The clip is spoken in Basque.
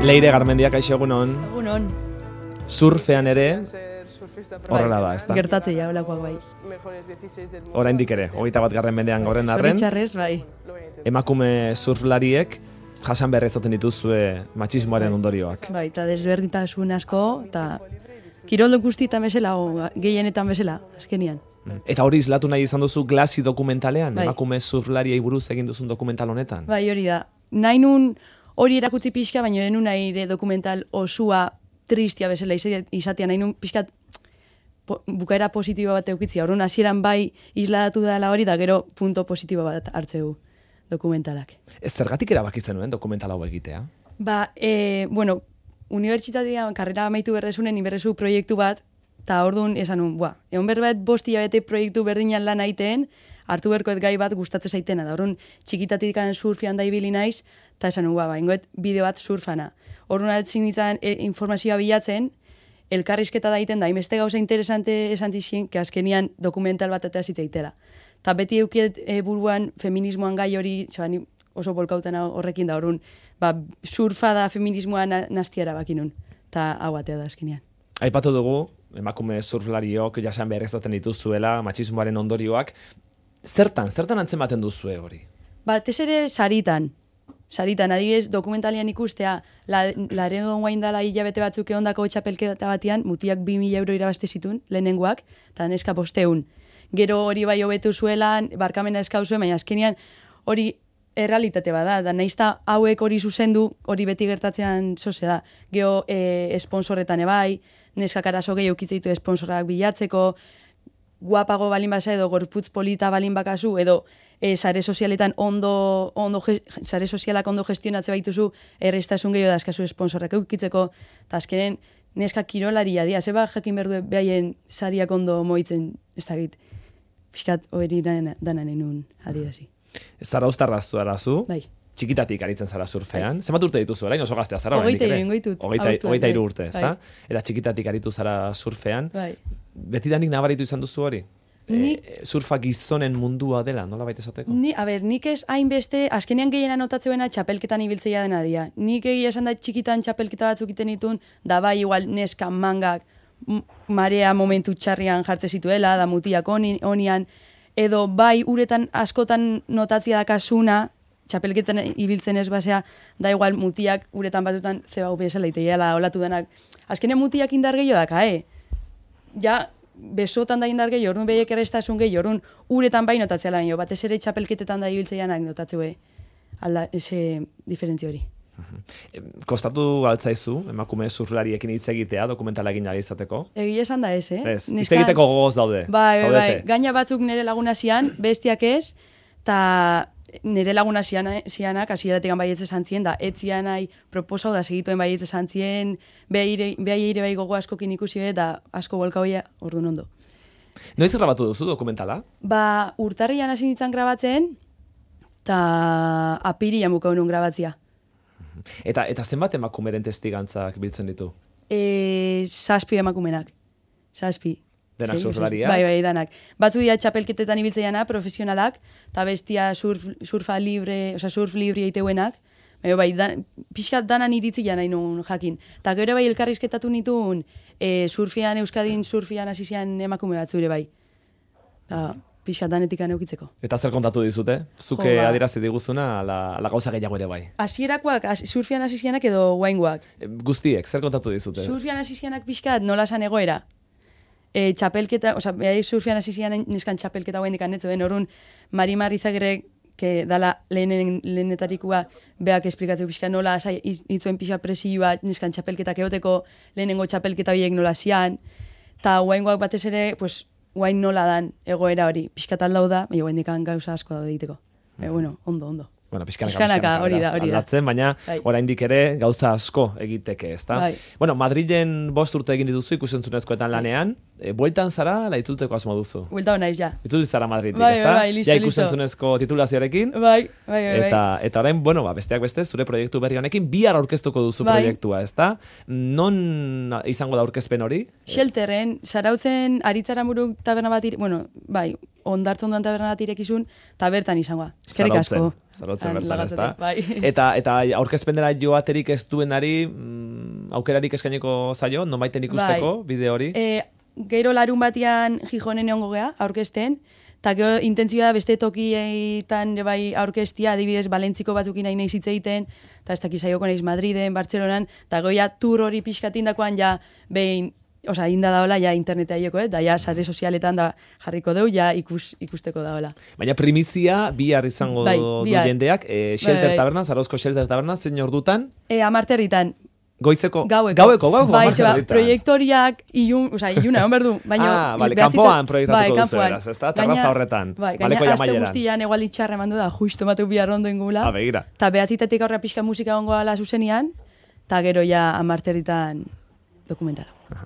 Leire Garmendia, kaixo egunon. Egunon. Surfean ere, horrela da, ez da? Gertatzea, holakoak bai. Oraindik ere, 21. mendean gauden arren, Zoritxarrez, bai. emakume surflariek jasan behar izaten dituzue matxismoaren ondorioak. Bai, eta desberdintasun asko, eta kiroldo guztietan bezala, o gehienetan bezala, azkenian. Eta hori islatu nahi izan duzu Glassy dokumentalean, Bai. emakume surflariei buruz egin duzun dokumental honetan? Bai, hori da. Nahi nun hori erakutsi pixka, baina denun nahi ere dokumental osua tristia bezala izatea, nahi nun pixka bukaera positibo bat eukitzia. Horren hasieran bai isladatu dela hori, da gero punto positibo bat hartzeu dokumentalak. Ez zergatik erabaki zenuen dokumental hau egitea? Ba, bueno, unibertsitatean karrera amaitu berdezunen inberrezu proiektu bat, eta orduan esan nun, egon berbet 5 hilabete proiektu berdinan lan aiteen, hartu berkoet gai bat gustatzen zaitena. Da orduan txikitatik surfian da ibili naiz, eta esan nun, ingoet bideo bat surfana. Orduan altzin nintzen informazioa bilatzen, elkarrizketa daiten da, inbeste gauza interesante esan zizien, que azkenian dokumental bat eta zitzaitela. Eta beti eukiet buruan feminismoan gai hori, ni oso bolkautan horrekin da, orduan, surfa da feminismoan nastiara bakinun, eta hau batea da azkenian. Aipatu dugu, emakume surflariok jasan behar izaten dituzuela, matxismoaren ondorioak, zertan antzematen duzue hori? Batez ere saritan, adibidez, dokumentalian ikustea, Laredo guain dala hilabete batzuk egondako txapelketa batian, mutiak 2.000 euro irabazte zituen, lehenengoak, eta neska 500. Gero hori bai hobetu zuelan, barkamena eskauzuen, baina azkenean hori errealitate bada, da naizta hauek hori zuzendu, hori beti gertatzean zoze da. Gero esponsorretan ebai, neskak arazo gehi eukitzeitu esponsorak bilatzeko, guapago balin basa edo gorputz polita balin bakazu, edo sare sozialetan sare sozialak ondo gestionatze baituzu, errestasun gehiago da eskazu esponsorrak eukitzeko, eta azkenen neskak kirolaria dia, zeba jakin berdu behaien sariak ondo moitzen, ez dakit, pixkat hori danan enun adirazi. Ez zara ustarrazu arazu? Bai. Txikitatik aritzen zara surfean. Zenbat urte dituzu, orain oso gaztea zara? 23 urte, ezta? Eta txikitatik aritu zara surfean. Bai. Betidanik nabaritu izan duzu hori? Surfa gizonen mundua dela, nola baita esateko? Nik ez hainbeste, azkenean gehiena notatzuena txapelketan ibiltzeia dena dia. Nik egia esan da txikitan txapelketa batzuk iten ditun, da bai igual neska mangak, marea momentu txarrian jartze zituela, da mutiak onian, edo bai uretan askotan notatzia dakasuna, txapelketan ibiltzen ez basea, da igual mutiak uretan batutan zebau bezala iteiala olatu denak. Azkenean mutiak indar gehiago daka, Ja, besotan da indar gehiago, orduan behiek errestasun gehiago, orduan uretan bai notatzea lan jo, batez ere txapelketetan da ibiltzeianak notatzue alda, ese diferentzio hori. Kostatu altzaizu, emakume surflariekin hitz egitea, dokumentala egin nahi izateko? Egia esan da ez, Ez, hitz egiteko gogoz daude. Bai, gaina batzuk nire laguna zian, bestiak ez, eta nire laguna zianak, hasieratik baietze zantzien, da etzian nahi proposau da segituen baietze zantzien, behai bai gogo askokin ikusi da asko bolka hoia orduan ondo. Noiz grabatu duzu dokumentala? Urtarrian hasi nintzen grabatzen, eta apirian buka honun grabatzia. Eta zenbat emakumeren testigantzak biltzen ditu? 6 emakumenak. 6. Denak surflariak? Bai, danak. Batzu dira txapelketetan ibiltzeiana, profesionalak, eta bestia surf libre eiteuenak. Bai, pixkat danan iritzia nahi nuen jakin. Eta gero bai elkarrizketatu nituen Euskadin surfian hasizian emakume batzure bai. Pixkat danetik aneukitzeko. Eta zer kontatu dizute? Zuke adirazi diguzuna, ala gauza gehiago ere bai? Hasierakoak, surfian hasizianak edo guaingoak? Guztiek, zer kontatu dizute? Surfian hasizianak pixkat nola san egoera. Txapelketa, behai surfian hasizian neskan txapelketa guain dikanetzu den, horun Mari Marrizagerek, que dala lehenetarikua beak esplikatzeko pixka nola itzuen pixa presioa neskan txapelketak egoteko, lehenengo txapelketa horiek nola zian, eta guaingoak batez ere, guain nola dan egoera hori, pixka taldau da, baina guain dikan gauza asko da egiteko. Ondo. Bueno, pixkanaka hori da. Aldatzen, baina oraindik ere gauza asko egiteke, ezta? Bai. Bueno, Madrilen 5 urte egin dituzu ikusentzunezkoetan lanean, bueltan zara, la itzultzeko asmo duzu. Buelta naiz ja. Itzultz zara Madridik, Bai, ezta? bai, listo, Ja listo. ikusentzunezko titulazioarekin. Bai. Eta orain, bueno, besteak beste, zure proiektu berri honekin, bihar aurkeztuko duzu Bai. proiektua, ezta? Non izango da aurkezpen hori? Shelterren, Zarautzen Aritzaramuruk taberna bat bai, ondartzen duan taberna bat irekizun, eta bertan izango. Eskerrik asko. Zarautzen bertan, ezta? Bai. Eta aurkezpenera joaterik ez duenari, aukerarik eskainiko zaio, nonbaiten ikusteko bideo hori? Gero larun batian Gijonen egongo gea, aurkezten, eta gero intentzioa beste tokietan bai aurkeztia, adibidez Balentziko batzukin nahi nahi hitz egiten, eta ez dakiz saioko naiz Madriden, Bartzelonan, eta goia tur hori pixkatindakoan ja behin, inda daola ja internetea joko, da ja sare sozialetan da jarriko deu, ja ikusteko daola. Baina primizia bihar izango du jendeak, Shelter Taberna, Zarauzko Shelter Taberna, zein ordutan? 10:00 Goizeko? Gaueko, bai, proiektoriak iluna, egon berdu. Bale, kanpoan proiektatuko duzu eraz, ez da? Terraza horretan, baleko jamaieran. Aste guztian egual itxarra emandu da, justo batu bihar ondo ingula. Begira. Ta 9:00 aurra pixka musika ongo ala zuzenian, eta gero ja 10:00 dokumentala.